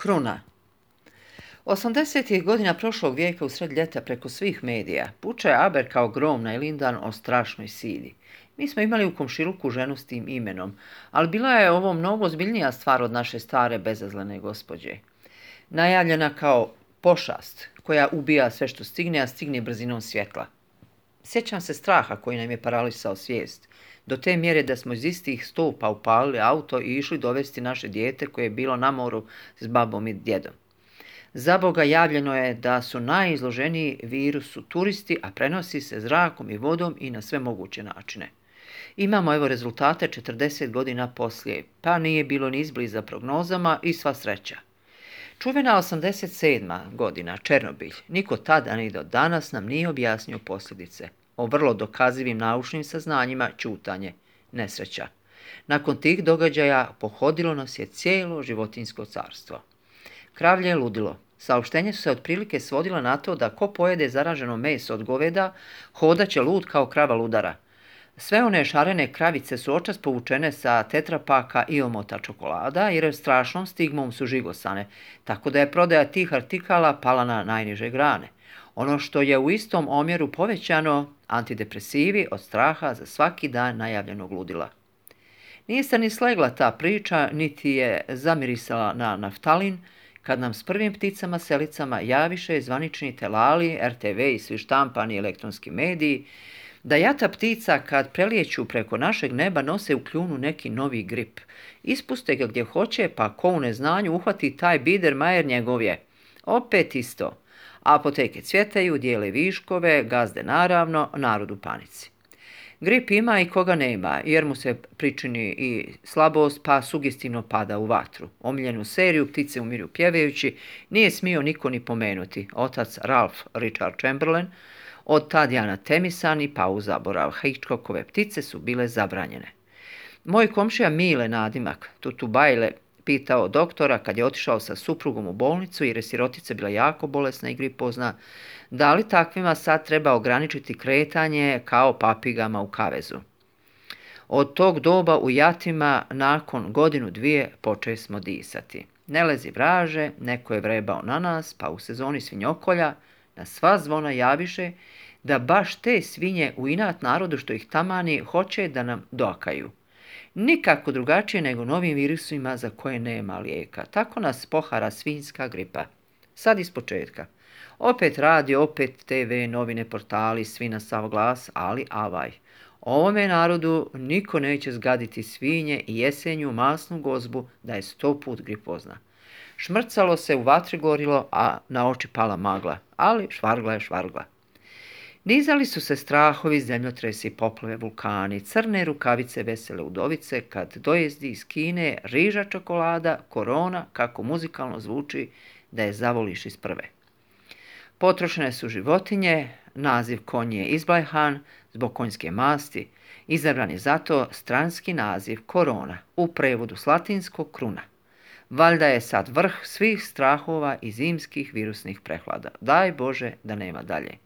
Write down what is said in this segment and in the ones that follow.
Kruna. 80. godina prošlog vijeka u sred ljeta preko svih medija puče Aber kao grom na Ilindan o strašnoj sidi. Mi smo imali u komšiluku ženu s tim imenom, ali bila je ovo mnogo ozbiljnija stvar od naše stare bezazlene gospođe. Najavljena kao pošast koja ubija sve što stigne, a stigne brzinom svjetla. Sjećam se straha koji nam je paralisao svijest, do te mjere da smo iz istih stupa upalili auto i išli dovesti naše dijete koje je bilo na moru s babom i djedom. Zaboga, javljeno je da su najizloženiji virusu turisti, a prenosi se zrakom i vodom i na sve moguće načine. Imamo evo rezultate 40 godina poslije, pa nije bilo ni izbliza prognozama i sva sreća. Čuvena 87. godina, Černobilj, niko tada ni do danas nam nije objasnio posljedice. O vrlo dokazivim naučnim saznanjima ćutanje, nesreća. Nakon tih događaja pohodilo nas je cijelo životinjsko carstvo. Kravlje je ludilo. Saopštenje su se otprilike svodila na to da ko pojede zaraženo meso od goveda, hodaće lud kao krava ludara. Sve one šarene kravice su očas povučene sa tetrapaka i omota čokolada, jer strašnom stigmom su žigosane, tako da je prodaja tih artikala pala na najniže grane. Ono što je u istom omjeru povećano, antidepresivi od straha za svaki dan najavljenog ludila. Nije se ni slegla ta priča, niti je zamirisala na naftalin, kad nam s prvim pticama selicama javiše zvanični telali, RTV i svi štampani elektronski mediji, da jata ptica kad prelijeću preko našeg neba nose u kljunu neki novi grip. Ispuste ga gdje hoće, pa ko u neznanju uhvati taj Biedermeier njegov je. Opet isto. Apoteke cvjetaju, dijele viškove, gazde naravno, narod u panici. Grip ima i koga nema, jer mu se pričini i slabost, pa sugestivno pada u vatru. Omiljenu seriju Ptice umiru pjevajući nije smio niko ni pomenuti. Otac Ralph Richard Chamberlain, od Tadjana Temisan i pa u zaborav. Hitchcockove Ptice su bile zabranjene. Moj komšija Mile nadimak, Tutubajle, pitao doktora kad je otišao sa suprugom u bolnicu jer je sirotica bila jako bolesna i gripozna, da li takvima sad treba ograničiti kretanje kao papigama u kavezu. Od tog doba u jatima nakon godinu dvije poče smo disati. Ne lezi vraže, neko je vrebao na nas, pa u sezoni svinjokolja na sva zvona javiše da baš te svinje u inat narodu što ih tamani hoće da nam doakaju. Nikako drugačije nego novim virusima za koje nema lijeka. Tako nas pohara svinjska gripa. Sad iz početka. Opet radio, opet TV, novine, portali, svi na sav glas, ali avaj. Ovome narodu niko neće zgaditi svinje i jesenju masnu gozbu da je 100 put gripozna. Šmrcalo se, u vatri gorilo, a na oči pala magla, ali švargla je švargla. Nizali su se strahovi, zemljotresi, poplave, vulkani, crne rukavice, vesele udovice, kad dojezdi iz Kine, riža čokolada, korona, kako muzikalno zvuči da je zavoliš iz prve. Potrošene su životinje, naziv konj je izblajhan zbog konjske masti, izabran je zato stranski naziv korona, u prevodu s latinskog kruna. Valjda je sad vrh svih strahova i zimskih virusnih prehlada. Daj Bože da nema dalje.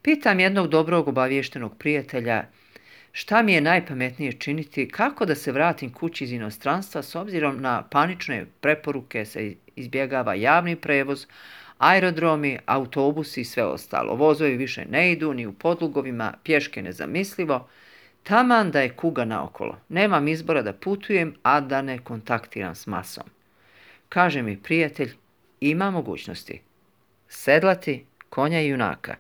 Pitam jednog dobrog obaviještenog prijatelja šta mi je najpametnije činiti, kako da se vratim kući iz inostranstva s obzirom na panične preporuke se izbjegava javni prevoz, aerodromi, autobusi i sve ostalo. Vozovi više ne idu, ni u podlugovima, pješke nezamislivo. Taman da je kuga naokolo. Nemam izbora da putujem, a da ne kontaktiram s masom. Kaže mi prijatelj, ima mogućnosti. Sedlati konja i junaka.